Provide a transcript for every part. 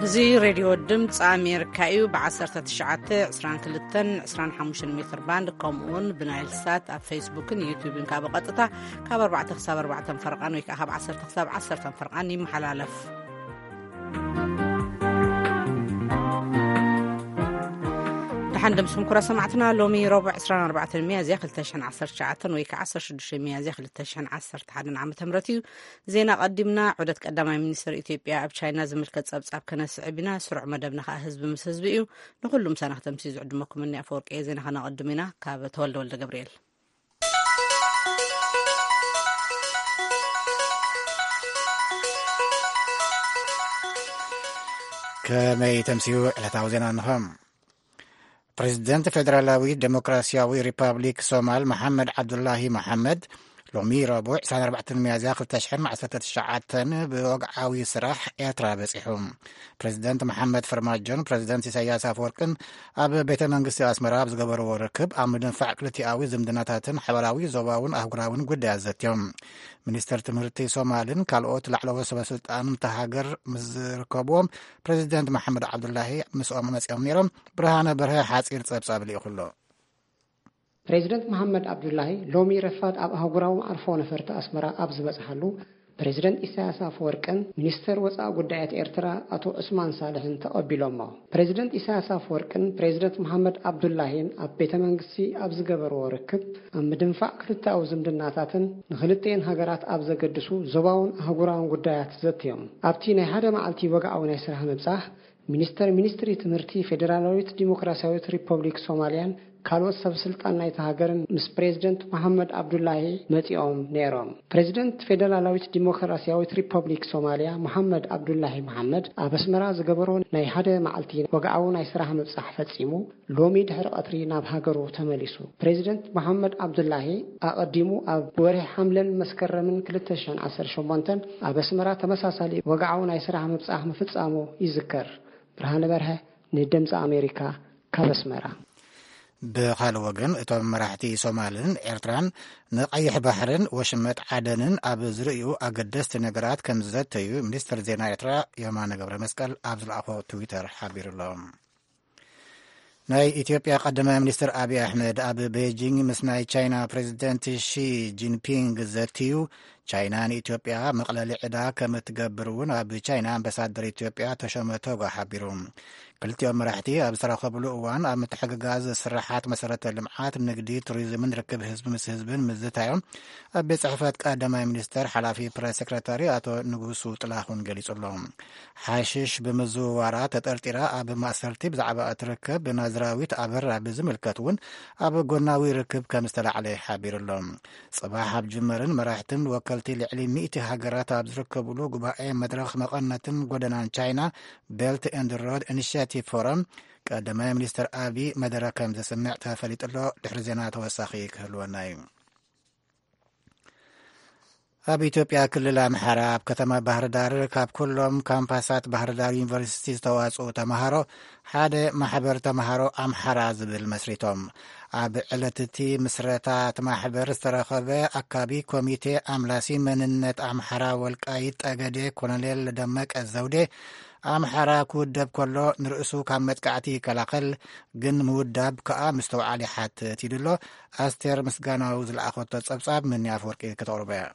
እዚ ሬድዮ ድምፂ ኣሜሪካ እዩ። ብ19፣ 22፣ 25 ሜትር ባንድ፣ ከምኡውን ብናይል ሳት ኣብ ፌስቡክን ዩቱብን ካብ ቀጥታ ካብ ኣርባዕተ ክሳብ ኣርባዕተ ፈርቓን ወይ ከዓ ካብ ዓሰርተ ክሳብ ዓሰርተ ፈርቓን ይመሓላለፍ። ደሓን ደምስኹም ኩራ ሰማዕትና። ሎሚ ረቡዕ 24 ሚያዝያ 2019 ወይ ከዓ 16 ሚያዝያ 2011 ዓመተ ምህረት እዩ። ዜና ቀዲምና። ዑደት ቀዳማይ ሚኒስትር ኢትዮጵያ ኣብ ቻይና ዝምልከት ጸብጻብ ከነስዕብ ኢና። ስሩዕ መደብና ከዓ ህዝቢ ምስ ህዝቢ እዩ። ንኹሉ ምሳና ክተምሲ ዝዕድመኩም እኒ ኣፈወርቂ እየ። ዜና ከነቐድም ኢና። ካብ ተወልደ ወልደ ገብርኤል። ከመይ ተምስዩ ዕለታዊ ዜና እንሆ። ፕሬዚደንት ፌደራላዊ ዴሞክራሲያዊ ሪፐብሊክ ሶማል መሓመድ ዓብዱላሂ መሓመድ ሎሚ ረቡዕ 24 ሚያዝያ 2019 ብወግዓዊ ስራሕ ኤርትራ በጺሑ። ፕሬዚደንት መሓመድ ፈርማጆን ፕሬዚደንት ኢሳያስ ኣፈወርቅን ኣብ ቤተ መንግስቲ ኣስመራ ኣብ ዝገበርዎ ርክብ ኣብ ምድንፋዕ ክልቲኣዊ ዝምድናታትን ሓበራዊ ዞባውን ኣህጉራውን ጉዳያት ዘትዮም። ሚኒስተር ትምህርቲ ሶማልን ካልኦት ላዕለዎት ሰበስልጣን እታ ሃገር ምስ ዝርከብዎም ፕሬዚደንት መሓመድ ዓብዱላሂ ምስኦም መጺኦም ነይሮም። ብርሃነ በርሀ ሓጺር ጸብጻብ ልኢኹ ኣሎ። ፕሬዚደንት መሓመድ ዓብዱላሂ ሎሚ ረፋድ ኣብ ኣህጉራዊ መዕርፎ ነፈርቲ ኣስመራ ኣብ ዝበጽሓሉ፣ ፕሬዚደንት ኢሳያስ ኣፈወርቅን ሚኒስተር ወጻኢ ጉዳያት ኤርትራ ኣቶ ዑስማን ሳልሕን ተቐቢሎሞ። ፕሬዚደንት ኢሳያስ ኣፈወርቅን ፕሬዚደንት መሓመድ ዓብዱላሂን ኣብ ቤተ መንግስቲ ኣብ ዝገበርዎ ርክብ፣ ኣብ ምድንፋዕ ክልተኣዊ ዝምድናታትን ንክልተኤን ሃገራት ኣብ ዘገድሱ ዞባውን ኣህጉራውን ጉዳያት ዘትዮም። ኣብቲ ናይ ሓደ መዓልቲ ወግዓዊ ናይ ስራሕ ምብጻሕ፣ ሚኒስተር ሚኒስትሪ ትምህርቲ ፌዴራላዊት ዲሞክራሲያዊት ሪፐብሊክ ሶማልያን ካልኦት ሰብ ስልጣን ናይታ ሃገርን ምስ ፕሬዚደንት መሓመድ ዓብዱላሂ መጺኦም ነይሮም። ፕሬዚደንት ፌዴራላዊት ዲሞክራሲያዊት ሪፐብሊክ ሶማልያ መሓመድ ዓብዱላሂ መሓመድ ኣብ ኣስመራ ዝገበሮ ናይ ሓደ መዓልቲ ወግዓዊ ናይ ስራሕ ምብጻሕ ፈጺሙ፣ ሎሚ ድሕሪ ቀትሪ ናብ ሃገሩ ተመሊሱ። ፕሬዚደንት መሓመድ ዓብዱላሂ ኣቐዲሙ ኣብ ወርሒ ሓምለን መስከረምን 2018 ኣብ ኣስመራ ተመሳሳሊ ወግዓዊ ናይ ስራሕ ምብጻሕ ምፍጻሙ ይዝከር። ብርሃነ በርሀ፣ ንድምፂ ኣሜሪካ፣ ካብ ኣስመራ። ብኻልእ ወገን፣ እቶም መራሕቲ ሶማልን ኤርትራን ንቀይሕ ባሕርን ወሽመጥ ዓደንን ኣብ ዝርእዩ ኣገደስቲ ነገራት ከም ዝዘተዩ ሚኒስትር ዜና ኤርትራ የማነ ገብረ መስቀል ኣብ ዝለኣኾ ትዊተር ሓቢሩ ኣሎ። ናይ ኢትዮጵያ ቀዳማይ ሚኒስትር ኣብይ ኣሕመድ ኣብ ቤጂንግ ምስ ናይ ቻይና ፕሬዚደንት ሺ ጂንፒንግ ዘትዩ፣ ቻይና ንኢትዮጵያ መቕለሊ ዕዳ ከም እትገብር እውን ኣብ ቻይና ኣምባሳደር ኢትዮጵያ ተሾመ ቶጋ ሓቢሩ። ክልቲኦም መራሕቲ ኣብ ዝተራኸብሉ እዋን ኣብ ምትሕግጋዝ ስራሓት መሰረተ ልምዓት፣ ንግዲ፣ ቱሪዝምን ርክብ ህዝቢ ምስ ህዝብን ምዝታዮም ኣብ ቤት ጽሕፈት ቀዳማይ ሚኒስተር ሓላፊ ፕሬስ ሴክረታሪ ኣቶ ንጉሱ ጥላሁን ገሊጹ ኣሎ። ሓሽሽ ብምዝውዋራ ተጠርጢራ ኣብ ማእሰርቲ ብዛዕባ እትርከብ ናዝራዊት ኣበራ ብዝምልከት እውን ኣብ ጎናዊ ርክብ ከም ዝተላዕለ ሓቢሩ ኣሎ። ጽባሕ ኣብ ጅመርን መራሕትን ወከልቲ ልዕሊ ሚእቲ ሃገራት ኣብ ዝርከብሉ ጉባኤ መድረኽ መቐነትን ጎደናን ቻይና፣ ቤልት ኤንድ ሮድ ኢኒሽቲቭ ፎረም፣ ቀዳማይ ሚኒስትር ኣቢ መደረ ከም ዘስምዕ ተፈሊጡ ኣሎ። ድሕሪ ዜና ተወሳኺ ክህልወና እዩ። ኣብ ኢትዮጵያ ክልል ኣምሓራ ኣብ ከተማ ባህር ዳር ካብ ኩሎም ካምፓሳት ባህር ዳር ዩኒቨርሲቲ ዝተዋጽኡ ተምሃሮ ሓደ ማሕበር ተምሃሮ ኣምሓራ ዝብል መስሪቶም። ኣብ ዕለት እቲ ምስረታ እቲ ማሕበር ዝተረኸበ ኣካቢ ኮሚቴ ኣምላሲ መንነት ኣምሓራ ወልቃይት ጠገዴ ኮሎኔል ደመቀ ዘውዴ፣ ኣምሓራ ክውደብ ከሎ ንርእሱ ካብ መጥቃዕቲ ይከላኸል፣ ግን ምውዳብ ከኣ ምስትውዓል ይሓትት ኢሉ ኣሎ። ኣስቴር ምስጋናው ዝለኣኸቶ ጸብጻብ ምኒ ኣፍወርቂ ክተቕርቦ እያ።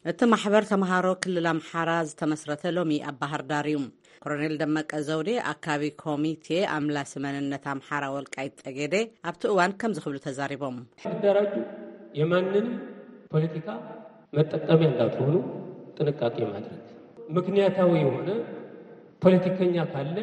እቲ ማሕበር ተምሃሮ ክልል ኣምሓራ ዝተመስረተ ሎሚ ኣብ ባህር ዳር እዩ። ኮሎኔል ደመቀ ዘውዴ፣ ኣካቢ ኮሚቴ ኣምላሲ መንነት ኣምሓራ ወልቃይት ጠገዴ፣ ኣብቲ እዋን ከምዚ ክብሉ ተዛሪቦም። ሲደራጁ የማንንም ፖለቲካ መጠቀሚያ እንዳትሆኑ ጥንቃቄ ማድረግ፣ ምክንያታዊ የሆነ ፖለቲከኛ ካለ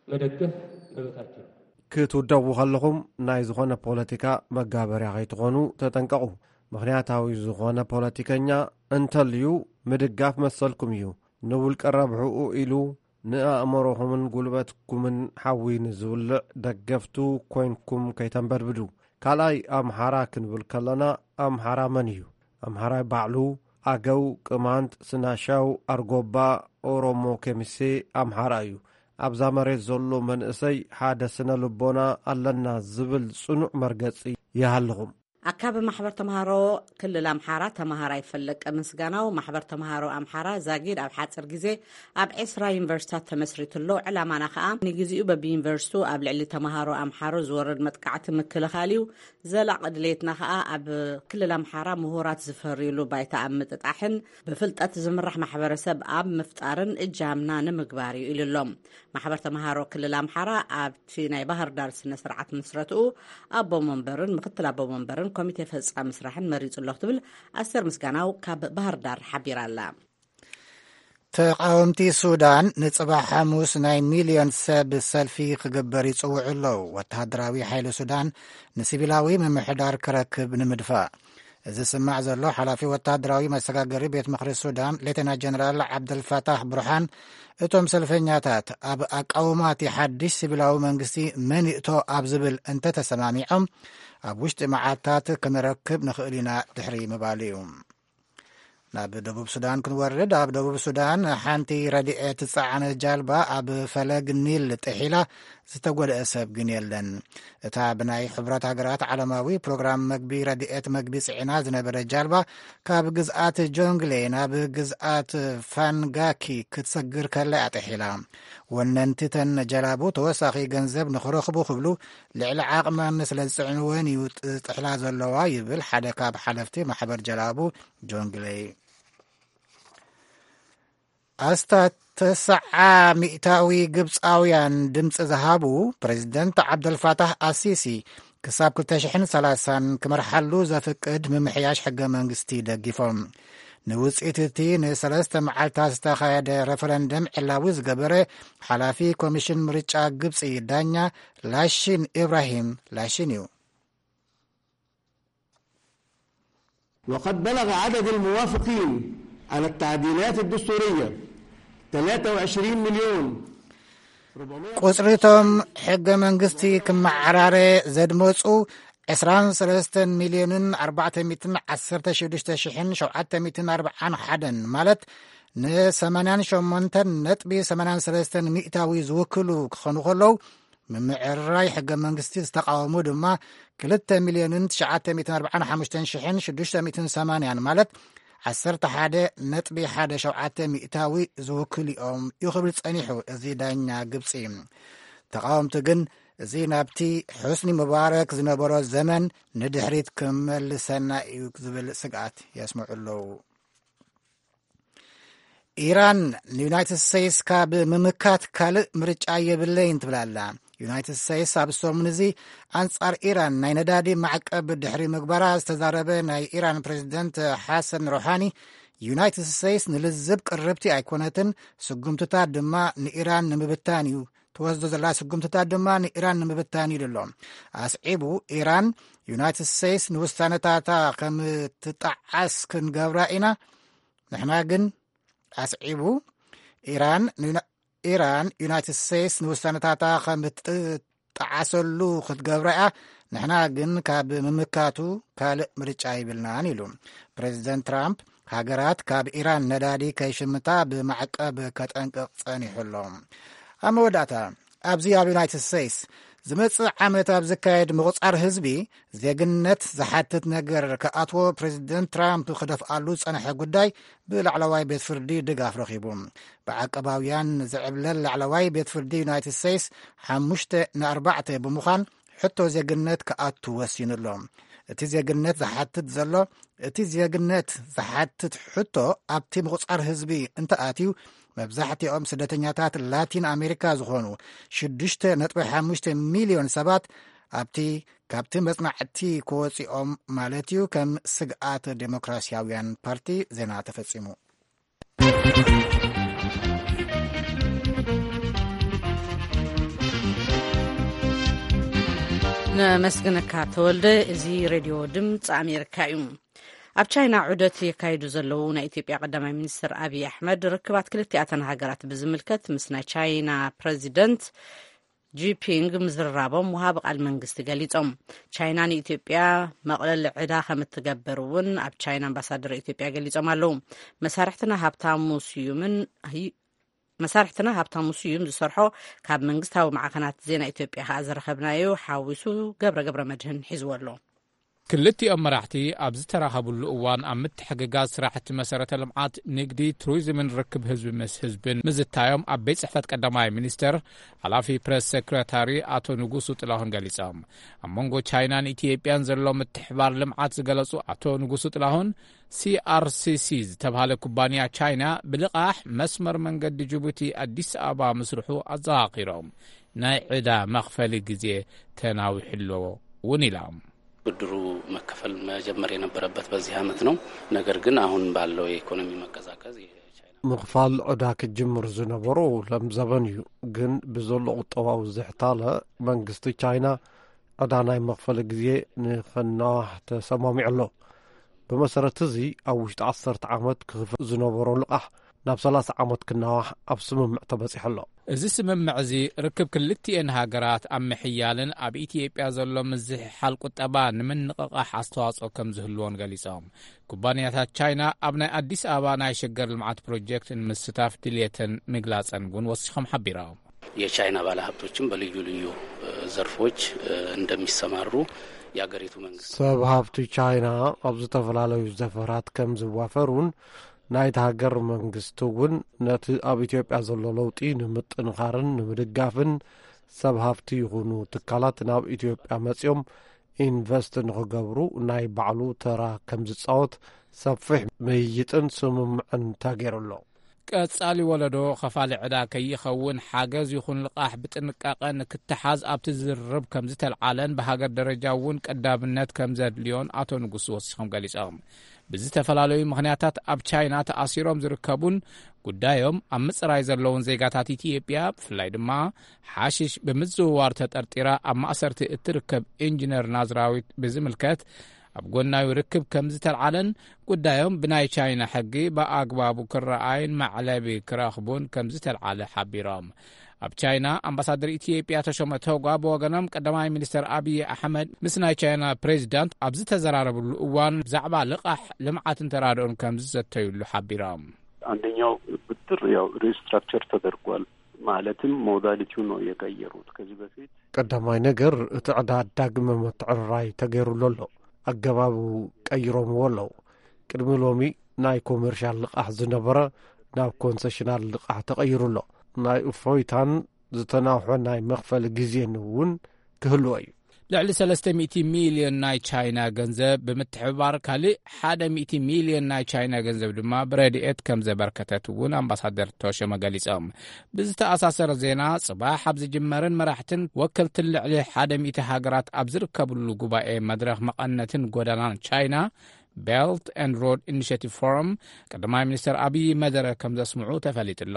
መደገፍ መብታቸው ነው። ክትውደቡ ከለኹም ናይ ዝኾነ ፖለቲካ መጋበርያ ከይትኾኑ ተጠንቀቑ። ምኽንያታዊ ዝኾነ ፖለቲከኛ እንተልዩ ምድጋፍ መሰልኩም እዩ። ንውልቀ ረብሕኡ ኢሉ ንኣእምሮኹምን ጉልበትኩምን ሓዊ ንዝውልዕ ደገፍቱ ኮይንኩም ከይተንበድብዱ። ካልኣይ፣ ኣምሓራ ክንብል ከለና ኣምሓራ መን እዩ? ኣምሓራይ ባዕሉ፣ ኣገው፣ ቅማንት፣ ስናሻው፣ ኣርጎባ፣ ኦሮሞ፣ ኬሚሴ ኣምሓራ እዩ። ኣብዛ መሬት ዘሎ መንእሰይ ሓደ ስነ ልቦና ኣለና ዝብል ጽኑዕ መርገጺ ይሃልኹም። ኣካቢ ማሕበር ተምሃሮ ክልል ኣምሓራ ተምሃራይ ፈለቀ ምስጋናው፣ ማሕበር ተምሃሮ ኣምሓራ ዛጊድ ኣብ ሓፂር ግዜ ኣብ ዕስራ ዩኒቨርሲታት ተመስሪቱ ኣሎ። ዕላማና ከዓ ንግዜኡ በብዩኒቨርሲቱ ኣብ ልዕሊ ተምሃሮ ኣምሓሮ ዝወርድ መጥቃዕቲ ምክልኻል እዩ። ዘላቂ ድሌትና ከዓ ኣብ ክልል ኣምሓራ ምሁራት ዝፈርዩሉ ባይታ ኣብ ምጥጣሕን ብፍልጠት ዝምራሕ ማሕበረሰብ ኣብ ምፍጣርን እጃምና ንምግባር እዩ ኢሉ ኣሎ። ማሕበር ተምሃሮ ክልል ኣምሓራ ኣብቲ ናይ ባህር ዳር ስነ ስርዓት ምስረትኡ ኣቦ መንበርን ምክትል ኣቦ መንበርን ኮሚቴ ፈጻሚ ስራሕን መሪጹ ኣሎ ክትብል ኣስቴር ምስጋናው ካብ ባህር ዳር ሓቢራ ኣላ። ተቃወምቲ ሱዳን ንጽባሕ ሓሙስ ናይ ሚልዮን ሰብ ሰልፊ ክግበር ይጽውዑ ኣለዉ። ወተሃደራዊ ሓይሊ ሱዳን ንሲቪላዊ ምምሕዳር ክረክብ ንምድፋእ። እዚ ዝስማዕ ዘሎ ሓላፊ ወተሃደራዊ መሰጋገሪ ቤት ምኽሪ ሱዳን ሌተና ጀነራል ዓብደልፋታሕ ብርሃን፣ እቶም ሰልፈኛታት ኣብ ኣቃውማ እቲ ሓድሽ ሲቪላዊ መንግስቲ መን ይእቶ ኣብ ዝብል እንተተሰማሚዖም፣ ኣብ ውሽጢ መዓልታት ክንረክብ ንኽእል ኢና ድሕሪ ምባሉ እዩ። ናብ ደቡብ ሱዳን ክንወርድ፣ ኣብ ደቡብ ሱዳን ሓንቲ ረድኤት ዝጸዓነት ጃልባ ኣብ ፈለግ ኒል ጥሒላ፣ ዝተጎድአ ሰብ ግን የለን። እታ ብናይ ሕቡራት ሃገራት ዓለማዊ ፕሮግራም መግቢ ረድኤት መግቢ ጽዒና ዝነበረ ጃልባ ካብ ግዝኣት ጆንግሌ ናብ ግዝኣት ፋንጋኪ ክትሰግር ከላ እያ ጥሒላ። ወነንቲ ተን ጀላቡ ተወሳኺ ገንዘብ ንኽረኽቡ ክብሉ ልዕሊ ዓቕመን ስለ ዝጽዕንወን እዩ ጥሕላ ዘለዋ ይብል ሓደ ካብ ሓለፍቲ ማሕበር ጀላቡ ጆንግሌ። ኣስታት ተስዓ ሚእታዊ ግብጻውያን ድምጺ ዝሃቡ ፕሬዝደንት ዓብደልፋታህ ኣሲሲ ክሳብ ክልተ ሽሕን ሰላሳን ክመርሓሉ ዘፍቅድ ምምሕያሽ ሕገ መንግስቲ ደጊፎም። ንውጽኢት እቲ ንሰለስተ መዓልታት ዝተኻየደ ረፈረንደም ዕላዊ ዝገበረ ሓላፊ ኮሚሽን ምርጫ ግብጺ ዳኛ ላሺን ኢብራሂም ላሺን እዩ። وقد بلغ عدد الموافقين على التعديلات الدستورية ثلاثة وعشرين مليون. ቁጽሪ እቶም ሕገ መንግስቲ ክመዓራረ ዘድመጹ ዕስራን ሰለስተን ሚልዮንን ኣርባዕተ ሚእትን ዓሰርተ ሽዱሽተ ሽሕን ሸውዓተ ሚእትን ኣርባዓን ሓደን፣ ማለት ንሰማንያን ሸሞንተን ነጥቢ ሰማንያን ሰለስተን ሚእታዊ ዝውክሉ ክኾኑ ከለዉ፣ ምምዕርራይ ሕገ መንግስቲ ዝተቃወሙ ድማ ክልተ ሚልዮንን ትሽዓተ ሚእትን ኣርባዓን ሓሙሽተን ሽሕን ሽዱሽተ ሚእትን ሰማንያን፣ ማለት ዓሰርተ ሓደ ነጥቢ ሓደ ሸውዓተ ሚእታዊ ዝውክሉ እዮም እዩ ክብል ጸኒሑ እዚ ዳኛ ግብጺ። ተቃወምቲ ግን እዚ ናብቲ ሑስኒ ሙባረክ ዝነበሮ ዘመን ንድሕሪት ክመልሰና እዩ ዝብል ስግኣት የስምዑ ኣለዉ። ኢራን ንዩናይትድ ስቴትስ ካብ ምምካት ካልእ ምርጫ የብለይን ትብል ኣላ። ዩናይትድ ስቴትስ ኣብ ሰሙን እዚ ኣንጻር ኢራን ናይ ነዳዲ ማዕቀብ ድሕሪ ምግባራ ዝተዛረበ ናይ ኢራን ፕሬዝደንት ሓሰን ሮሓኒ፣ ዩናይትድ ስቴትስ ንልዝብ ቅርብቲ ኣይኮነትን፣ ስጉምትታት ድማ ንኢራን ንምብታን እዩ፣ ትወስዶ ዘላ ስጉምትታት ድማ ንኢራን ንምብታን እዩ ኢሉ ኣሎ። ኣስዒቡ፣ ኢራን ዩናይትድ ስቴትስ ንውሳነታታ ከም ትጠዓስ ክንገብራ ኢና፣ ንሕና ግን ኣስዒቡ፣ ኢራን ንዩና- ኢራን ዩናይትድ ስቴትስ ንውሳነታታ ከም ትጠዓሰሉ ክትገብራ እያ፣ ንሕና ግን ካብ ምምካቱ ካልእ ምርጫ ይብልናን ኢሉ። ፕሬዚደንት ትራምፕ ሃገራት ካብ ኢራን ነዳዲ ከይሽምታ ብማዕቀብ ከጠንቅቕ ጸኒሑ ኣሎ። ኣብ መወዳእታ፣ ኣብዚ ኣብ ዩናይትድ ስቴትስ ዝመጽእ ዓመት ኣብ ዝካየድ ምቑጻር ህዝቢ ዜግነት ዝሓትት ነገር ክኣትዎ ፕሬዚደንት ትራምፕ ክደፍኣሉ ዝጸንሐ ጉዳይ ብላዕለዋይ ቤት ፍርዲ ድጋፍ ረኺቡ። ብዓቀባውያን ዝዕብለል ላዕለዋይ ቤት ፍርዲ ዩናይትድ ስቴትስ ሓሙሽተ ንኣርባዕተ ብምዃን ሕቶ ዜግነት ክኣቱ ወሲኑ ኣሎ። እቲ ዜግነት ዝሓትት ዘሎ እቲ ዜግነት ዝሓትት ሕቶ ኣብቲ ምቑጻር ህዝቢ እንተኣትዩ፣ መብዛሕትኦም ስደተኛታት ላቲን ኣሜሪካ ዝኾኑ ሽዱሽተ ነጥቢ ሓሙሽተ ሚልዮን ሰባት ኣብቲ ካብቲ መጽናዕቲ ክወጽኦም ማለት እዩ፣ ከም ስግኣት ዴሞክራሲያውያን ፓርቲ ዜና ተፈጺሙ። ነመስግነካ ተወልደ። እዚ ሬድዮ ድምፂ ኣሜሪካ እዩ። ኣብ ቻይና ዑደት የካይዱ ዘለዉ ናይ ኢትዮጵያ ቀዳማይ ሚኒስትር ኣብይ ኣሕመድ ርክባት ክልቲኣተን ሃገራት ብዝምልከት ምስ ናይ ቻይና ፕረዚደንት ጂፒንግ ምዝርራቦም ወሃቢ ቃል መንግስቲ ገሊጾም። ቻይና ንኢትዮጵያ መቕለሊ ዕዳ ከም እትገብር እውን ኣብ ቻይና ኣምባሳደር ኢትዮጵያ ገሊጾም ኣለዉ። መሳርሕትና ሃብታሙ ስዩምን መሳርሕትና ሃብታሙ ስዩም ዝሰርሖ ካብ መንግስታዊ ማዕኸናት ዜና ኢትዮጵያ ከኣ ዝረኸብናዮ ሓዊሱ ገብረ ገብረ መድህን ሒዝዎ ኣሎ። ክልቲኦም መራሕቲ ኣብ ዝተራኸብሉ እዋን ኣብ ምትሕግጋዝ ስራሕቲ መሰረተ ልምዓት፣ ንግዲ፣ ቱሪዝምን ርክብ ህዝቢ ምስ ህዝብን ምዝታዮም ኣብ ቤት ጽሕፈት ቀዳማይ ሚኒስተር ሓላፊ ፕሬስ ሴክሬታሪ ኣቶ ንጉሱ ጥላሁን ገሊጾም። ኣብ መንጎ ቻይናን ኢትዮጵያን ዘሎ ምትሕባር ልምዓት ዝገለጹ ኣቶ ንጉሱ ጥላሁን፣ ሲ ኣር ሲ ሲ ዝተባህለ ኩባንያ ቻይና ብልቓሕ መስመር መንገዲ ጅቡቲ ኣዲስ ኣበባ ምስርሑ ኣዘኻኺሮም፣ ናይ ዕዳ መኽፈሊ ግዜ ተናዊሑ ኣሎ እውን ኢሎም። ብድሩ መከፈል መጀመር የነበረበት በዚህ ዓመት ነው። ነገር ግን አሁን ባለው የኢኮኖሚ መቀዛቀዝ የቻይና ምኽፋል ዕዳ ክጅምር ዝነበሮ ሎም ዘበን እዩ፣ ግን ብዘሎ ቁጠባዊ ዝሕታለ መንግስቲ ቻይና ዕዳ ናይ መኽፈሊ ግዜ ንኸናዋሕ ተሰማሚዑ ኣሎ። ብመሰረት እዚ ኣብ ውሽጢ ዓሰርተ ዓመት ክኽፈል ዝነበሮ ልቓሕ ናብ ሰላሳ ዓመት ክናዋሕ ኣብ ስምምዕ ተበጺሑ ኣሎ። እዚ ስምምዕ እዚ ርክብ ክልቲኤን ሃገራት ኣብ ምሕያልን ኣብ ኢትዮጵያ ዘሎ ምዝሕሓል ቁጠባ ንምንቕቓሕ ኣስተዋጽኦ ከም ዝህልዎን ገሊጾም። ኩባንያታት ቻይና ኣብ ናይ ኣዲስ ኣበባ ናይ ሸገር ልምዓት ፕሮጀክት ንምስታፍ ድልየተን ምግላጸን እውን ወሲኾም ሓቢሮም። የቻይና ባለሀብቶችም በልዩ ልዩ ዘርፎች እንደሚሰማሩ የአገሪቱ መንግስት ሰብ ሃብቲ ቻይና ኣብ ዝተፈላለዩ ዘፈራት ከም ዝዋፈሩን ናይቲ ሃገር መንግስቲ እውን ነቲ ኣብ ኢትዮጵያ ዘሎ ለውጢ ንምጥንኻርን ንምድጋፍን ሰብ ሃብቲ ይኹኑ ትካላት ናብ ኢትዮጵያ መጺኦም ኢንቨስት ንኽገብሩ ናይ ባዕሉ ተራ ከም ዝጻወት ሰፊሕ ምይይጥን ስምምዕን ተገይሩ ኣሎ። ቀጻሊ ወለዶ ኸፋሊ ዕዳ ከይኸውን ሓገዝ ይኹን ልቓሕ ብጥንቃቐ ንክተሓዝ ኣብቲ ዝርርብ ከም ዝተልዓለን ብሃገር ደረጃ እውን ቀዳምነት ከም ዘድልዮን ኣቶ ንጉሱ ወሲኾም ገሊጾም። ብዝተፈላለዩ ምኽንያታት ኣብ ቻይና ተኣሲሮም ዝርከቡን ጉዳዮም ኣብ ምጽራይ ዘለውን ዜጋታት ኢትዮጵያ፣ ብፍላይ ድማ ሓሽሽ ብምዝውዋር ተጠርጢራ ኣብ ማእሰርቲ እትርከብ ኢንጂነር ናዝራዊት ብዝምልከት፣ ኣብ ጎናዊ ርክብ ከም ዝተልዓለን ጉዳዮም ብናይ ቻይና ሕጊ ብኣግባቡ ክረኣይን መዕለቢ ክረኽቡን ከም ዝተልዓለ ሓቢሮም። ኣብ ቻይና ኣምባሳደር ኢትዮጵያ ተሾመ ቶጋ ብወገኖም፣ ቀዳማይ ሚኒስተር ኣብይ ኣሕመድ ምስ ናይ ቻይና ፕሬዚዳንት ኣብ ዝተዘራረብሉ እዋን ብዛዕባ ልቓሕ ልምዓትን ተራድኦን ከም ዝዘተዩሉ ሓቢሮም። አንደኛው ብድር ያው ሪስትራክቸር ተደርጓል። ማለትም ሞዳሊቲው ነው የቀየሩት። ከዚህ በፊት ቀዳማይ ነገር እቲ ዕዳ ዳግመ ምትዕርራይ ተገይሩሉ ኣሎ። ኣገባቡ ቀይሮምዎ ኣለዉ። ቅድሚ ሎሚ ናይ ኮመርሻል ልቓሕ ዝነበረ ናብ ኮንሰሽናል ልቓሕ ተቐይሩ ኣሎ። ናይ እፎይታን ዝተናውሐ ናይ መኽፈሊ ግዜን እውን ክህልዎ እዩ። ልዕሊ ሰለስተ ሚእቲ ሚልዮን ናይ ቻይና ገንዘብ ብምትሕብባር፣ ካልእ ሓደ ሚእቲ ሚልዮን ናይ ቻይና ገንዘብ ድማ ብረድኤት ከም ዘበርከተት እውን ኣምባሳደር ተሾመ ገሊጾም። ብዝተኣሳሰረ ዜና፣ ጽባሕ ኣብ ዝጅመርን መራሕትን ወከልትን ልዕሊ ሓደ ሚእቲ ሃገራት ኣብ ዝርከብሉ ጉባኤ መድረኽ መቐነትን ጎደናን ቻይና፣ ቤልት ኤንድ ሮድ ኢኒሼቲቭ ፎረም፣ ቀዳማይ ሚኒስተር ኣብይ መደረ ከም ዘስምዑ ተፈሊጡ ኣሎ።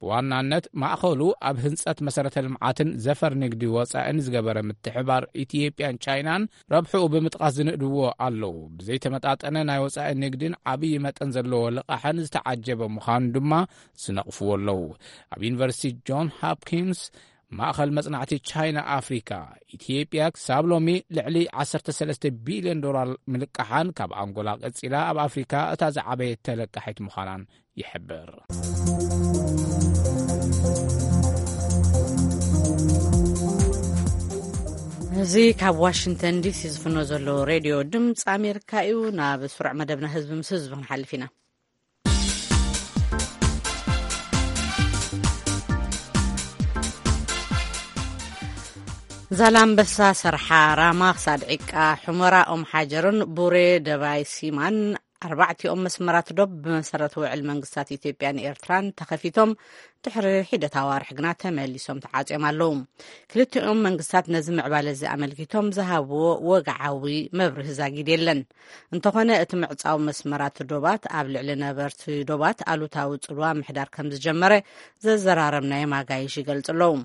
ብዋናነት ማእኸሉ ኣብ ህንጸት መሰረተ ልምዓትን ዘፈር ንግዲ ወጻእን ዝገበረ ምትሕባር ኢትዮጵያን ቻይናን ረብሕኡ ብምጥቃስ ዝንእድዎ ኣለዉ። ብዘይተመጣጠነ ናይ ወጻኢ ንግድን ዓብዪ መጠን ዘለዎ ልቓሕን ዝተዓጀበ ምዃኑ ድማ ዝነቕፍዎ ኣለዉ። ኣብ ዩኒቨርሲቲ ጆን ሆፕኪንስ ማእኸል መጽናዕቲ ቻይና ኣፍሪካ፣ ኢትዮጵያ ክሳብ ሎሚ ልዕሊ ዓሰርተ ሰለስተ ቢልዮን ዶላር ምልቃሓን፣ ካብ ኣንጎላ ቀጺላ ኣብ ኣፍሪካ እታ ዝዓበየት ተለቃሒት ምዃናን ይሕብር። እዚ ካብ ዋሽንግተን ዲሲ ዝፍኖ ዘሎ ሬድዮ ድምፂ ኣሜሪካ እዩ። ናብ ስሩዕ መደብና ህዝቢ ምስ ህዝቢ ክንሓልፍ ኢና። ዛላምበሳ፣ ሰርሓ፣ ራማ ክሳድ ዒቃ፣ ሑመራ፣ ኦም ሓጀርን ቡሬ ደባይ ሲማን ኣርባዕቲኦም መስመራት ዶብ ብመሰረት ውዕል መንግስታት ኢትዮጵያን ኤርትራን ተኸፊቶም ድሕሪ ሒደት ኣዋርሕ ግና ተመሊሶም ተዓጽዮም ኣለዉ። ክልቲኦም መንግስታት ነዚ ምዕባለ እዚ ኣመልኪቶም ዝሃብዎ ወግዓዊ መብርሂ ዛጊድ የለን። እንተኾነ እቲ ምዕጻው መስመራት ዶባት ኣብ ልዕሊ ነበርቲ ዶባት ኣሉታዊ ጽልዋ ምሕዳር ከም ዝጀመረ ዘዘራረብናዮም ኣጋይሽ ይገልጹ ኣለዉ።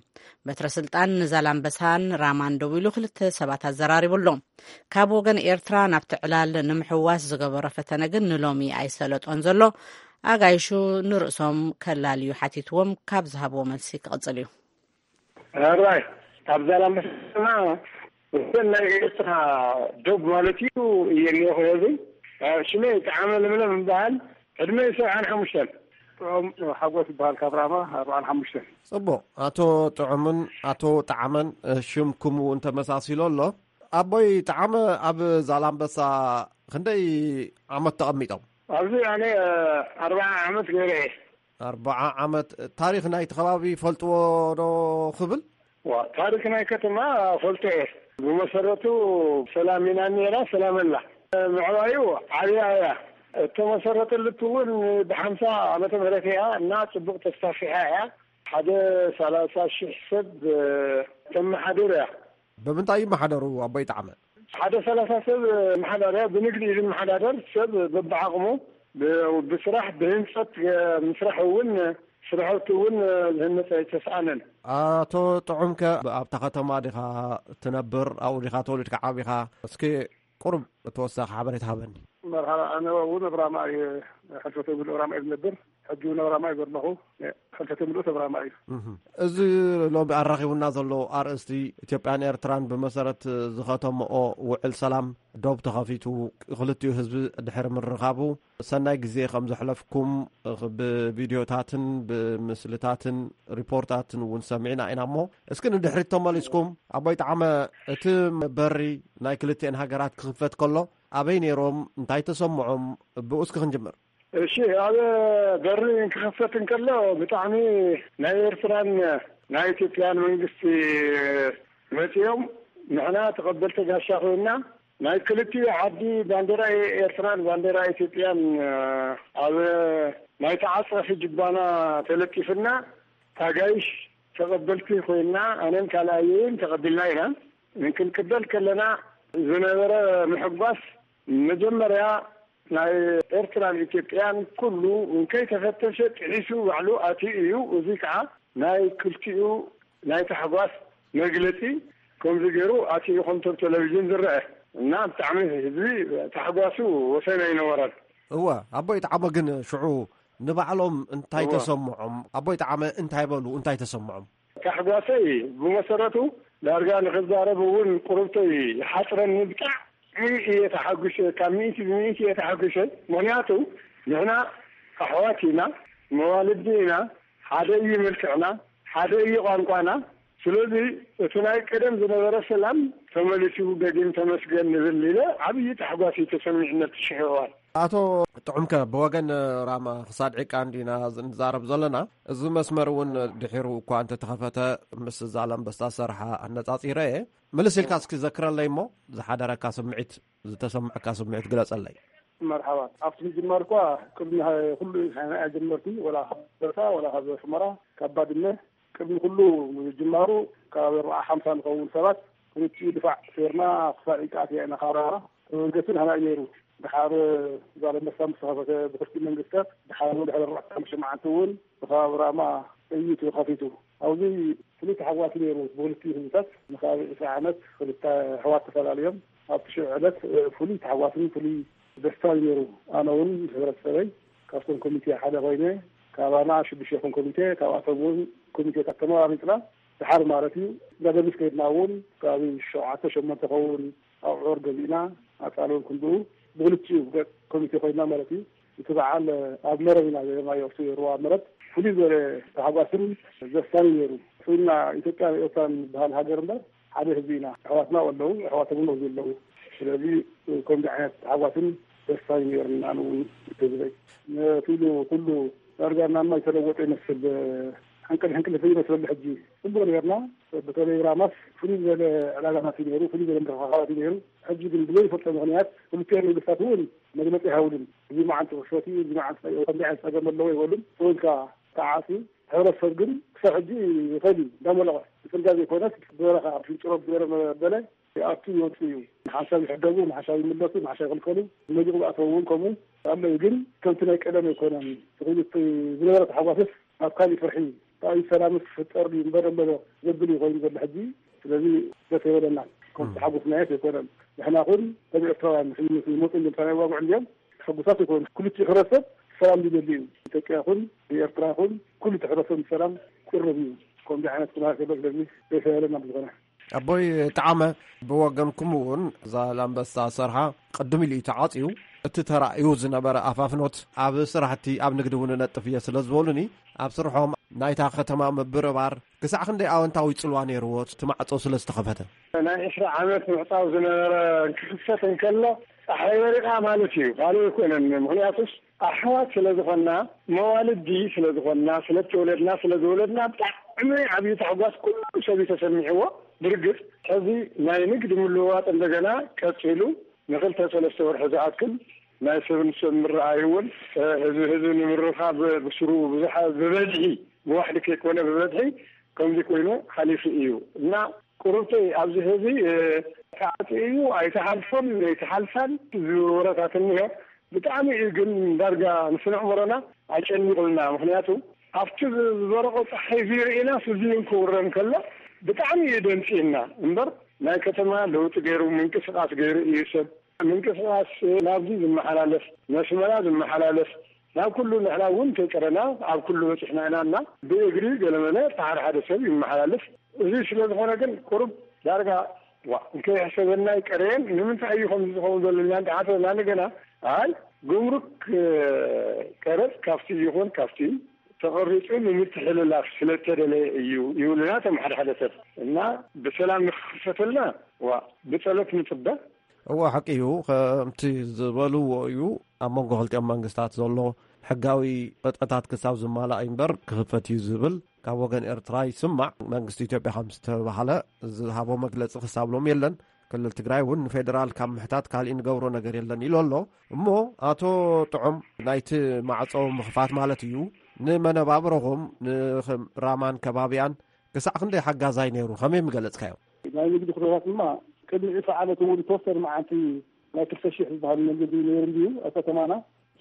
በትረ ስልጣን ንዛላምበሳን ራማን ደዊሉ ክልተ ሰባት ኣዘራሪቡ ኣሎ። ካብ ወገን ኤርትራ ናብቲ ዕላል ንምሕዋስ ዝገበሮ ፈተነ ግን ንሎሚ ኣይሰለጦን ዘሎ። ኣጋይሹ ንርእሶም ከላልዩ ሓቲትዎም ካብ ዝሃብዎ መልሲ ክቕጽል እዩ። ሕራይ ኣብ ዛላምበሳ እተን ናይ ኤርትራ ዶብ ማለት እዩ እየ እኒኦ ክህብን ሽመይ ጣዕመ ለምለም እምበሃል ዕድመ ሰብዓን ሓሙሽተን ጥዑም ሓጎስ ይበሃል ካብ ራማ ኣርባዓን ሓሙሽተን። ጽቡቕ። ኣቶ ጥዑምን ኣቶ ጣዕመን ሽምኩም እውን ተመሳሲሎ ኣሎ። ኣቦይ ጠዓመ፣ ኣብ ዛላምበሳ ክንደይ ዓመት ተቐሚጦም? ኣብዚ ኣነ ኣርባዓ ዓመት ገይረ እየ። ኣርባዓ ዓመት። ታሪኽ ናይቲ ከባቢ ፈልጥዎ ዶ ክብል? ዋ፣ ታሪኽ ናይ ከተማ ፈልጦ እየ። ብመሰረቱ ሰላም ኢና ነራ፣ ሰላም ኣላ። ምዕባዩ ዓብያ እያ። እተመሰረተልቱ እውን ብሓምሳ ዓመተ ምህረት እያ እና ጽቡቕ ተስፋፊሓ እያ። ሓደ ሰላሳ ሺሕ ሰብ ተመሓድር እያ። ብምንታይ ይመሓደሩ ኣቦይ ጠዓመ? ሓደ ሰላሳ ሰብ መሓዳርያ ብንግዲ እዩ ዝመሓዳደር። ሰብ በብዓቕሙ ብ-፣ ብስራሕ ብህንፀት ምስራሕ እውን ስራሕቲ እውን ዝህነፀ ኣይተስኣነን። ኣቶ ጥዑምከ ኣብታ ከተማ ዲኻ ትነብር? ኣብኡ ዲኻ ተወሊድካ ዓቢኻ? እስኪ ቁሩብ ተወሳኺ ሓበሬታ ሃበኒ። መርሓባ፣ ኣነ እውን ኣብ ራማ እየ፣ ሕልፈተ ምሉእ ራማ እየ ዝነብር። ሕጂ እውን ኣብ ራማ እየ ዘለኹ። ሕልፈተ ምሉእ ኣብ ራማ እዩ። እህ። እዚ ሎሚ ኣራኺቡና ዘሎ ኣርእስቲ ኢትዮጵያን ኤርትራን ብመሰረት ዝኸተምኦ ውዕል ሰላም ዶብ ተኸፊቱ ክልቲኡ ህዝቢ ድሕሪ ምርኻቡ ሰናይ ግዜ ከም ዘሕለፍኩም ብቪድዮታትን ብምስልታትን ሪፖርታትን እውን ሰሚዕና ኢና። እሞ እስኪ ንድሕሪት ተመሊስኩም ኣቦይ ጠዓመ፣ እቲ በሪ ናይ ክልቲኤን ሃገራት ክኽፈት ከሎ ኣበይ ነይሮም? እንታይ ተሰምዖም? ብኡ እስኪ ክንጅምር። እሺ፣ ኣብ በሪ ክኽፈት እንከሎ ብጣዕሚ ናይ ኤርትራን ናይ ኢትዮጵያን መንግስቲ መጺኦም ንሕና ተቐበልቲ ጋሻ ኮይና ናይ ክልቲኡ ዓዲ ባንዴራ ኤርትራን ባንዴራ ኢትዮጵያን ኣብ ናይ ተዓጸፊ ጅባና ተለጢፍና ታጋይሽ ተቐበልቲ ኮይና ኣነን ካልኣየይን ተቐቢልና ኢና። ክንቅበል ከለና ዝነበረ ምሕጓስ መጀመርያ ናይ ኤርትራን ኢትዮጵያን ኩሉ እንከይተፈተሸ ጥሒሱ ባዕሉ ኣትዩ እዩ። እዚ ከዓ ናይ ክልቲኡ ናይ ታሕጓስ መግለጺ ከምዚ ገይሩ ኣትዩ ከምቶም ቴሌቪዥን ዝረአ እና ብጣዕሚ ህዝቢ ታሕጓሱ ወሰን ኣይነበረን። እወ፣ ኣቦይ ጠዓመ ግን ሽዑ ንባዕሎም እንታይ እወ። ተሰምዖም? ኣቦይ ጠዓመ እንታይ በሉ? እንታይ ተሰምዖም? ታሕጓሰይ ብመሰረቱ ዳርጋ ንክዛረብ እውን ቁርብተይ ይሓፅረኒ። ብጣዕሚ እየ ተሓጒሰ፣ ካብ ሚእቲ ብሚእቲ እየ ተሓጒሰ። ምክንያቱ ንሕና ኣሕዋት ኢና፣ መዋልዲ ኢና፣ ሓደ እዩ መልክዕና፣ ሓደ እዩ ቋንቋና። ስለዚ እቲ ናይ ቀደም ዝነበረ ሰላም ተመሊሱ ደጊም ተመስገን ንብል ኢለ ዓብዪ ታሕጓስ እዩ ተሰሚዕነት ሽሕዋን። ኣቶ ጥዑምከ፣ ብወገን ራማ ክሳድ ዒቃ እንዲና ንዛረብ ዘለና፣ እዚ መስመር እውን ድሒሩ እኳ እንተተኸፈተ ምስ ዛላምበሳ ሰርሓ ኣነጻጺረ እየ። ምልስ ኢልካ እስኪ ዘክረለይ እሞ ዝሓደረካ ስምዒት፣ ዝተሰምዐካ ስምዒት ግለጸለይ። መርሓባ። ኣብቲ ምጅማር እኳ ቅድሚ ኩሉ ንሕና ጀመርቲ፣ ወላ ካብ በታ፣ ወላ ካብ ሑመራ፣ ካብ ባድመ፣ ቅድሚ ኩሉ ምጅማሩ ካብ ኣርባዓ ሓምሳ ንኸውን ሰባት ክልቲኡ ድፋዕ ሴርና ክሳዕ ኢቃት ኢና ካብ ራማ። እቲ መንገዲ ንሕና እዩ ነይሩ። ድሓር ዛላምበሳ ምስ ተኸፈተ ብክልቲኡ መንግስታት፣ ድሓር እውን ድሕሪ ኣርባዕተ ሓሙሽተ መዓልቲ እውን ብከባቢ ራማ ጥይት እዩ ከፊቱ። ኣብዚ ፍሉይ ተሓጓስ ነይሩ ብክልቲኡ ህዝብታት። ንከባቢ ዕስራ ዓመት ክልተ ኣሕዋት ተፈላለዮም ኣብቲ ሽዑ ዕለት፣ እ፣ ፍሉይ ተሓጓስን ፍሉይ ደስታን ነይሩ። ኣነ እውን ምስ ሕብረተሰበይ ካብቶም ኮሚቴ ሓደ ኮይነ፣ ካባና ሽዱሽተ ይኹን ኮሚቴ፣ ካብኣቶም እውን ኮሚቴታት ተመራሪፅና፣ ድሓር ማለት እዩ። እንዳደርቢስ ከይድና እውን ከባቢ ሸውዓተ ሸሞንተ ኸውን ኣቑዑር ገዚእና፣ ኣፃል እውን ክንድኡ ብክልቲኡ ገፅ ኮሚቴ ኮይና ማለት እዩ። እቲ በዓል ኣብ መረብ ኢና ገይርናዮ። ኣብቲ ሩባ መረብ ፍሉይ ዝበለ ታሕጓስን ደስታን እዩ ነይሩ። ሕና ኢትዮጵያ ኤርትራን ዝበሃል ሃገር እምበር ሓደ ህዝቢ ኢና። ኣሕዋትና ኣለዉ፣ ኣሕዋቶም እውን ኣብዚ ኣለዉ። ስለዚ ከምዚ ዓይነት ታሕጓስን ደስታን እዩ ነይሩና። ኣነ እውን ህዝበይ ነቲ ኢሉ ኩሉ ዳርጋ እናማ ዝተለወጠ ይመስል። ሕንቅል ሕንቅል ይመስለሉ ሕጂ። ጽቡቕ ነይርና። በተለይ ራማስ ፍሉይ ዝበለ ዕላጋታት እዩ ነይሩ፣ ፍሉይ ዝበለ ምርኽኻባት እዩ ነይሩ። ሕጂ ግን ብዘይፈልጦ ምኽንያት ክልቲኦም መንግስታት እውን መግለጺ ኣይሃቡሉን። እዚ መዓልቲ ክፈት እዩ፣ እዚ መዓልቲ ከምዚ ዓይነት ጸገም ኣለዎ ኣይበሉን። ተወልካ ተዓጽዩ። ሕብረተሰብ ግን ክሳብ ሕጂ ይኸድ እዩ እንዳመለቐ። ብጽርግያ ዘይኮነስ ብበረኻ ኣብ ሽንጭሮ ብገረ መበለ ይኣቱ ይወጽእ እዩ። ንሓንሳብ ይሕደጉ፣ ንሓንሳብ ይምለሱ፣ ንሓንሳብ ይኽልከሉ። መሊቑ ዝኣተዉ እውን ከምኡ ኣለዉ። ግን ከምቲ ናይ ቀደም ኣይኮነን። እቲ ዝነበረ ተሓጓስስ ናብ ካሊእ ፍርሒ፣ እቲ ሰላምስ ክፍጠር ድዩ እምበር እምበር ዘብል እዩ ኮይኑ ዘሎ ሕጂ። ስለዚ ደስ የበለና። ከም ተሓጎስናዮስ ኣይኮነን። ንሕና ኹን ከም ኤርትራውያን ንሕይነት ይመፁ እንዲም ሰላም ይዋግዑ እንዲም ሕጉሳት ኣይኮኑ። ክልቲኡ ሕብረተሰብ ሰላም ዝደሊ እዩ። ኢትዮጵያ ይኹን ኤርትራ ይኹን ኩሉ እቲ ሕብረተሰብ ሰላም ቅርብ እዩ። ከምዚ ዓይነት ኩነታት ዘሎ ስለዚ ደስ የበለና ብዝኾነ። ኣቦይ ጠዓመ፣ ብወገንኩም እውን ዛላምበሳ ሰርሓ ቅድም ኢሉ እዩ ተዓጽዩ። እቲ ተራእዩ ዝነበረ ኣፋፍኖት ኣብ ስራሕቲ ኣብ ንግዲ እውን እነጥፍ እየ ስለ ዝበሉኒ፣ ኣብ ስርሖም ናይታ ከተማ ምብርባር ክሳዕ ክንደይ ኣወንታዊ ጽልዋ ነይርዎ፣ እቲ ማዕጾ ስለ ዝተኸፈተ? ናይ ዕስራ ዓመት ምዕጻው ዝነበረ ክኽፈት እንከሎ፣ ጸሓይ በሪቓ ማለት እዩ፣ ካልእ ኣይኮነን። ምኽንያቱስ ኣሕዋት ስለ ዝኾንና፣ መዋልዲ ስለ ዝኾንና፣ ስለ እተወለድና፣ ስለ ዝወለድና፣ ብጣዕሚ ዓብዪ ታሕጓስ ኩሉ ሰብ እዩ ተሰሚዕዎ። ብርግጽ፣ ሕዚ ናይ ንግድ ምልውዋጥ እንደገና ቀጺሉ፣ ንኽልተ ሰለስተ ወርሒ ዝኣክል ናይ ሰብ ንሰብ ምርኣይ እውን፣ እ፣ ህዝቢ ህዝቢ ንምርኻብ ብስሩ ብዙሕ ብበዝሒ፣ ብዋሕዲ ከይኮነ ብበዝሒ ከምዚ ኮይኑ ሓሊፉ እዩ። እና ቁሩብተይ ኣብዚ ህዝቢ፣ እ፣ ተዓጽዩ እዩ፣ ኣይተሓልፎን፣ ኣይተሓልፋን ዝብል ወረታት እኒሆ። ብጣዕሚ እዩ ግን ዳርጋ ንስነ ኣእምሮና ኣጨኒቑልና። ምኽንያቱ ኣብቲ ዝ-፣ ዝበረቖ ጸሓይ እዚ ርኢና ስዚን ክውረን ከሎ ብጣዕሚ እዩ ደንጺና እምበር፣ ናይ ከተማ ለውጢ ገይሩ ምንቅስቓስ ገይሩ እዩ ሰብ። ምንቅስቓስ ናብዚ ዝመሓላለፍ፣ ነስመራ ዝመሓላለፍ፣ ናብ ኩሉ ንሕና እውን ተይቀረና ኣብ ኩሉ በጺሕና ኢና እና ብእግሪ ገለመለ እቲ ሓደ ሓደ ሰብ ይመሓላለፍ። እዚ ስለ ዝኾነ ግን ቁሩብ ዳርጋ ዋ እንከይሕሰበና ይቀረየን። ንምንታይ እዩ ከምዚ ዝኸውን ዘሎ ኢልና እንተሓሰብና እንደገና ኣይ ጉምሩክ፣ እ፣ ቀረጽ ካብቲ ይኹን ካብቲ ተቐሪጹ ንምትሕልላፍ ስለተደለየ እዩ ይብሉና እቶም ሓደ ሓደ ሰብ። እና ብሰላም ንክኽፈተልና ዋ ብጸሎት ንጽበ። እወ፣ ሓቂ እዩ። ከምቲ ዝበልዎ እዩ፣ ኣብ መንጎ ክልቲኦም መንግስታት ዘሎ ሕጋዊ ቅጥዕታት ክሳብ ዝማላእ እዩ እምበር ክኽፈት እዩ ዝብል ካብ ወገን ኤርትራ ይስማዕ። መንግስቲ ኢትዮጵያ ከም ዝተባህለ ዝሃቦ መግለጺ ክሳብ ሎም የለን። ክልል ትግራይ እውን ንፌደራል ካብ ምሕታት ካሊእ ንገብሮ ነገር የለን ኢሉ ኣሎ። እሞ ኣቶ ጥዑም፣ ናይቲ ማዕጾ ምኽፋት ማለት እዩ፣ ንመነባብሮኹም ንራማን ከባቢያን ክሳዕ ክንደይ ሓጋዛይ ነይሩ? ከመይ ምገለጽካዮ? ናይ ንግዲ ኩነታት ድማ ቅድሚ ዕስራ ዓመት እውን ዝተወሰነ መዓልቲ ናይ ክልተ ሽሕ ዝበሃል መንገዲ ነይሩ እንድዩ ኣብ ከተማና።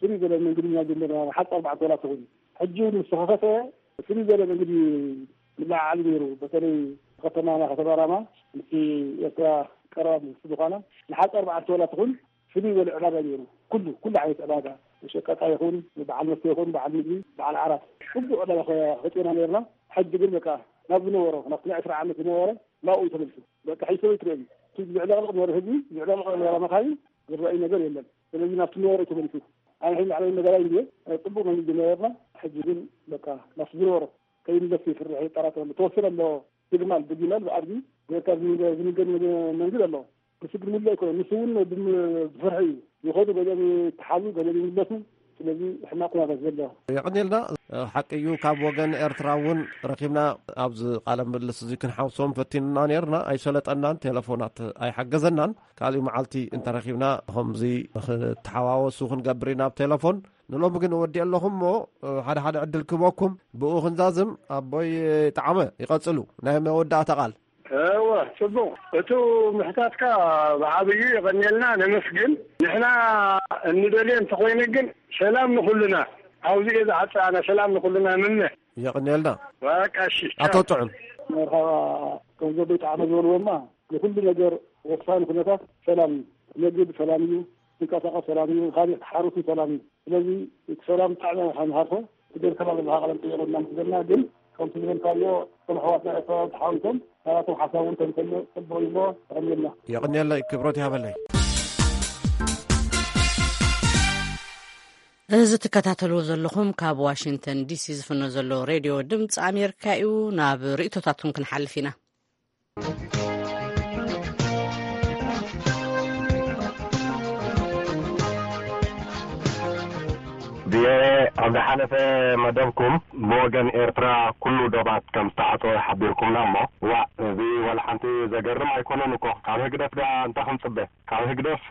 ፍልይ ዝበለ መንገዲ ኢና ጀመርና፣ ሓፂር ኣርባዕተ ወላ ተኾይኑ። ሕጂ እውን ምስ ተኸፈተ ፍልይ ዝበለ መንገዲ ንለዓዓሉ ነይሩ። በተለይ ከተማና ከተማ ራማ ምስቲ ኤርትራ ቀረባ ምስ ዝኾና ንሓፂር ኣርባዕተ ወላ ትኹን ፍልይ ዝበለ ዕዳጋ ነይሩ። ኩሉ፣ ኩሉ ዓይነት ዕዳጋ፣ ሸቀጣ ይኹን፣ በዓል መስተ ይኹን፣ በዓል ምግቢ፣ በዓል ዓራት፣ ኩሉ ዕዳጋ ከ-፣ ከፂና ነይርና። ሕጂ ግን በቃ ናብ ዝነበሮ፣ ናብቲ ናይ ዕስራ ዓመት ዝነበረ ናብኡ እዩ ተመሊሱ። በቃ ሒሰብ ይትረአ እዩ። እቲ ዝዕለቕልቕ ዝነበረ ህዝቢ፣ ዝዕለቕልቕ ዝነበራ መኻይን ዝረኣይ ነገር የለን። ስለዚ ናብቲ ዝነበረ እዩ ተመሊሱ። ኣነ ሕጂ ላዕለዋይ ነገር ኣይንድየ፣ ፅቡቕ መንገዲ ነበርና። ሕጂ ግን በቃ ናብቲ ዝነበሮ ከይምለስ ይፍርሕ፣ ይጠራጠር ኣሎ። ተወሰነ ኣሎ፣ ብግማል፣ ብጊመል፣ ብኣድጊ ጌርካ ዝንገ-፣ ዝንገድ መገ-፣ መንገድ ኣሎ። ንሱ ግን ምሉእ ኣይኮነን። ንሱ እውን ብም-፣ ብፍርሒ እዩ። ይኸዱ፣ ገሊኦም ይተሓዙ፣ ገሊኦም ይምለሱ። ስለዚ ሕማቕ ኩነታት ዘሎ። የቐንየልና። ሓቂ እዩ፣ ካብ ወገን ኤርትራ እውን ረኺብና ኣብዚ ቃለ ምልልስ እዚ ክንሓውሶም ፈቲንና ነይርና፣ ኣይሰለጠናን፣ ቴሌፎናት ኣይሓገዘናን። ካልእ መዓልቲ እንተረኺብና ከምዚ ንኽተሓዋወሱ ክንገብር ኢና ኣብ ቴሌፎን። ንሎሚ ግን እወዲእ ኣለኹም እሞ፣ ሓደ ሓደ ዕድል ክህበኩም፣ ብኡ ክንዛዝም። ኣቦይ ጠዓመ፣ ይቐጽሉ። ናይ መወዳእታ ቃል። እወ፣ ጽቡቕ። እቱ ምሕታትካ ብዓብዩ የቐንየልና፣ ነመስግን። ንሕና እንደልዮ እንተኾይነ ግን ሰላም ንኹልና። ኣብዚ እየ ዝዓጽእ ኣነ፣ ሰላም ንኹልና ንምነ። የቐንየልና። በቃ እሺ፣ ኣቶ ቻው። ጥዑም። መርሓባ፣ ከም ዘቦይ ጠዓመ ዝበልዎ እማ፣ ንኹሉ ነገር ወሳኒ ኩነታት ሰላም እዩ። ትነግድ ሰላም እዩ፣ ትንቀሳቐስ ሰላም እዩ፣ ካልእ ትሓርስ ሰላም እዩ። ስለዚ እቲ ሰላም ብጣዕሚ ኢና ንሃርፎ። እቲ ገይርካና ዘለኻ ቃለ መጠይቕ እና ምስ ዘለና ግን ከምቲ ዝበልካዮ እቶም ኣሕዋትና ኤርትራውያን ተሓዊሶም ናባቶም ሓሳብ እውን ተምሰሎ ጽቡቕ እዩ እሞ ተቐንየልና። የቐንየለይ፣ ክብረት ይሃበለይ። እዚ ትከታተልዎ ዘለኹም ካብ ዋሽንግተን ዲሲ ዝፍኖ ዘሎ ሬድዮ ድምፂ ኣሜሪካ እዩ። ናብ ርእይቶታትኩም ክንሓልፍ ኢና። ቪኦኤ፣ ኣብ ዝሓለፈ መደብኩም ብወገን ኤርትራ ኩሉ ዶባት ከም ዝተዓጸወ ሓቢርኩምና እሞ፣ ዋእ፣ እዚ ዋላ ሓንቲ ዘገርም ኣይኮነን እኮ። ካብ ህግደፍ ደኣ እንታይ ክንጽበ? ካብ ህግደፍ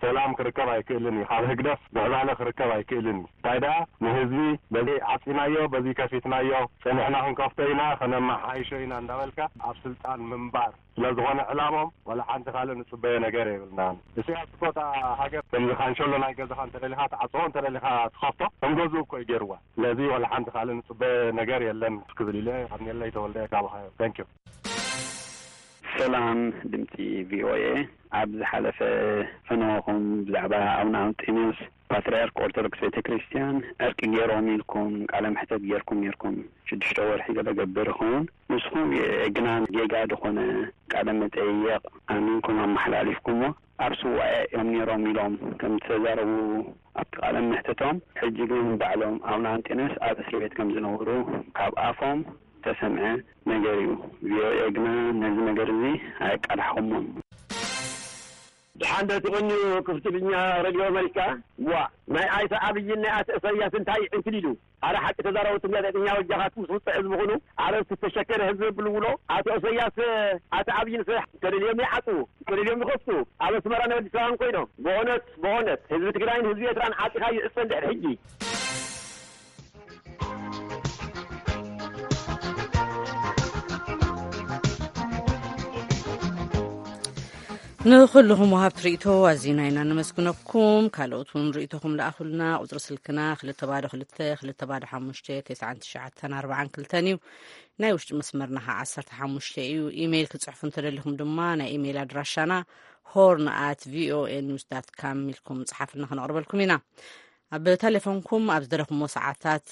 ሰላም ክርከብ ኣይክእልን እዩ። ካብ ህግደፍ ምዕባለ ክርከብ ኣይክእልን እዩ። እንታይ ደኣ ንህዝቢ በዚ ዓጺናዮ፣ በዚ ከፊትናዮ፣ ጸኒሕና ክንከፍቶ ኢና፣ ከነመሓይሾ ኢና እንዳበልካ ኣብ ስልጣን ምንባር ስለ ዝኾነ ዕላሞም፣ ዋላ ሓንቲ ካልእ ንጽበዮ ነገር የብልናን። እስያስ እኮ እታ ሃገር ከምዚ ካንሸሎ ናይ ገዛኻ እንተደሊኻ ትዓጽዎ፣ እንተደሊኻ ትኸፍቶ፣ ከም ገዝኡ እኮ እዩ ገይርዋ። ስለዚ ዋላ ሓንቲ ካልእ ንጽበዮ ነገር የለን ክብል ኢለ፣ ካብ ኔለይ ተወልደ ካብ ሃዮ። Thank you። ሰላም ድምጺ ቪኦኤ። ኣብ ዝሓለፈ ፈነወኹም ብዛዕባ ኣቡነ ኣንጦንዮስ ፓትርያርክ ኦርቶዶክስ ቤተ ክርስቲያን ዕርቂ ገይሮም ኢልኩም ቃለ መሕተት ገይርኩም ነይርኩም። ሽዱሽተ ወርሒ ገለ ገብር ይኸውን። ንስኹም የእግናን ጌጋ ዝኾነ ቃለ መጠየቕ ኣሚንኩም ኣመሓላሊፍኩሞ። ኣብ ስዋኤ እዮም ነይሮም ኢሎም ከም ዝተዛረቡ ኣብቲ ቃለ መሕትቶም፣ ሕጂ ግን ባዕሎም ኣቡነ ኣንጢኖስ ኣብ እስሪ ቤት ከም ዝነበሩ ካብ ኣፎም ዝተሰምዐ ነገር እዩ። ቪኦኤ ግና ነዚ ነገር እዚ ኣየቃላሕኹሞን። ድሓን ዶ ትቕንዩ? ክፍቲ ብኛ ሬድዮ ኣመሪካ። ዋ፣ ናይ ኣይተ ኣብይን ናይ ኣተ እሰያስ እንታይ ዕንክሊሉ? ኣረ ሓቂ ተዛረቡ፣ ትም ጋዜጠኛ ወጃኻት ምስ ውፅዕ ህዝቢ ኩኑ። ኣረ ዝተሸከረ ህዝቢ ብልውሎ። ኣቶ እሰያስ፣ ኣተ ኣብይን ስራሕ ተደልዮም ይዓፅዉ፣ ተደልዮም ይኸፍቱ። ኣብ ኣስመራ ናይ ኣዲስ ኣበባን ኮይኖም። ብእውነት፣ ብእውነት ህዝቢ ትግራይን ህዝቢ ኤርትራን ዓፂኻ ይዕፀ እንድሕር ሕጂ። ንኹልኹም ወሃብቲ ርእይቶ ኣዚና ኢና ነመስግነኩም። ካልኦት እውን ርእይቶኹም ለኣኹልና። ቁጽሪ ስልክና ክልተ ባዶ ክልተ፣ ክልተ ባዶ ሓሙሽተ፣ ተስዓን ትሽዓተን ኣርባዓን ክልተን እዩ። ናይ ውሽጢ መስመርና ኸዓ ዓሰርተ ሓሙሽተ እዩ። ኢሜይል ክጽሕፉ እንተደሊኹም ድማ ናይ ኢሜይል ኣድራሻና ሆርን ኣት ቪኦኤ ኒውስ ዳት ካም ኢልኩም ጽሓፍልና፣ ክነቕርበልኩም ኢና። ኣብ ቴሌፎንኩም ኣብ ዝደለኹምዎ ሰዓታት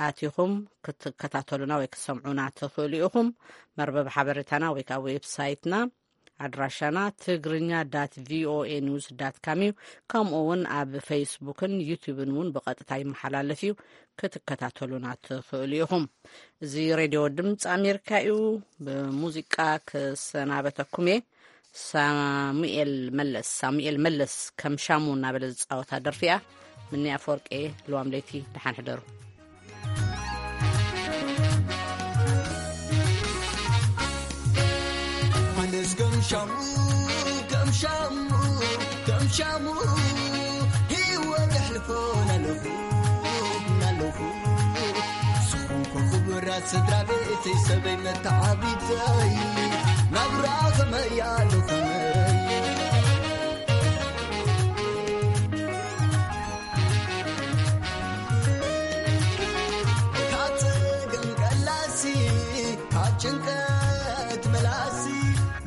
ኣቲኹም ክትከታተሉና ወይ ክትሰምዑና ትኽእሉ ኢኹም። መርበብ ሓበሬታና ወይ ከዓ ዌብሳይትና ኣድራሻና ትግርኛ ዳት ቪኦኤ ኒውስ ዳት ካም እዩ። ከምኡ እውን ኣብ ፌስቡክን ዩቲዩብን እውን ብቐጥታ ይመሓላለፍ እዩ። ክትከታተሉና ትኽእሉ ኢኹም። እዚ ሬድዮ ድምፂ ኣሜሪካ እዩ። ብሙዚቃ ክሰናበተኩም እየ። ሳሙኤል መለስ፣ ሳሙኤል መለስ ከም ሻሙ እናበለ ዝፃወታ ደርፊ እያ። ምኒ ኣፈወርቂ፣ ልዋም ለይቲ፣ ደሓን ሕደሩ። ኣነስ ከም ሻሙ፣ ከም ሻሙ፣ ከም ሻሙ ህይወት ኣሕልፎ ናለኹ፣ ናለኹ። ንስኹም ኮ ክቡራት ስድራ ቤተይ፣ ሰበይ መተዓቢተይ፣ ናብራ ከመይ ኣሎ ከመይ? ካብ ጸገም ቀላሲ፣ ካብ ጭንቀት መላሲ፣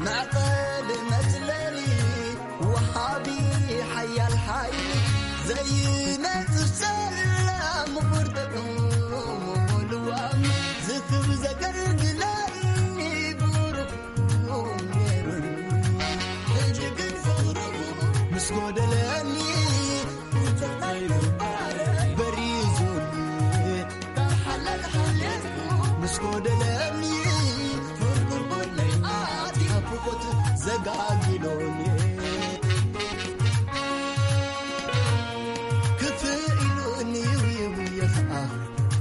መዕቀሊ መጽለሊ፣ ወሃቢ ሓያል ሓይሊ፣ ዘይነጽፍ ሰላም፣ ምቑር ጥዑም ልዋም፣ ዝክብ ዘገልግለኒ ብሩኽ ነይሩኒ። ሕጂ ግን ፍቕርኹ ምስ ጎደለኒ፣ ውጽዓይ በሪዙኒ። ካብ ሓላል ሓልየትኩ ምስ ጎደለኒ፣ ፍርቁር ጎድነይ ኣትዩ ናፍቖት ዘጋጊሎኒ። ክፍእ ኢሉኒ፣ ይውየ ኸኣ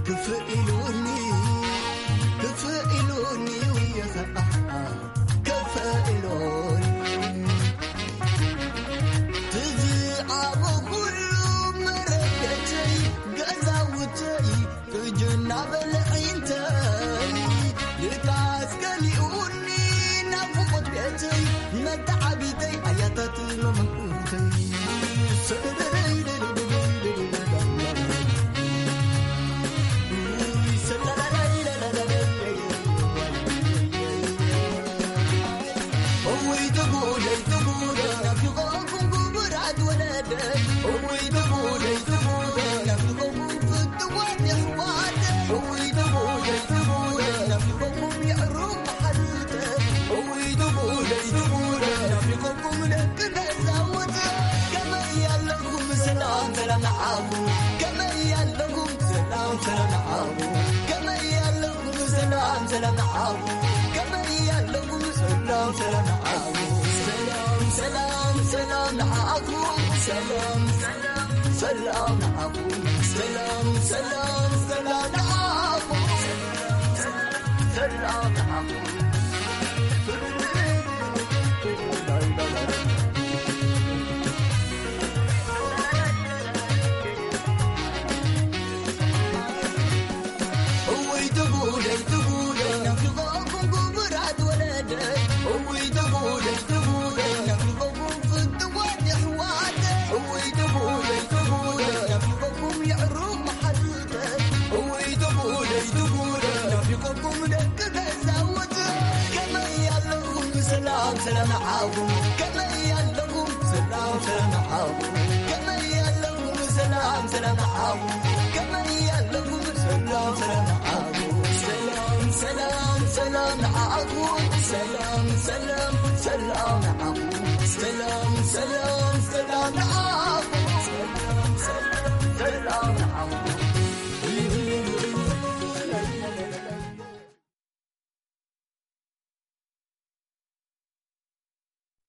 ክፍእ ኢሉኒ፣ ክፍእ ኢሉኒ፣ ይውየ ኸኣ ክፍእ ኢሉኒ። ትዝዓበኹሉ መረበተይ፣ ገዛውተይ፣ ጥጅና በልዒንተይ፣ ድቃስ ገሊኡኒ ናፍቖት ቤተይ፣ መተዓቢተይ፣ ኣያታት መመንቁተይ።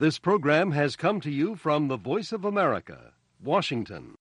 This program has come to you from the Voice of America, Washington.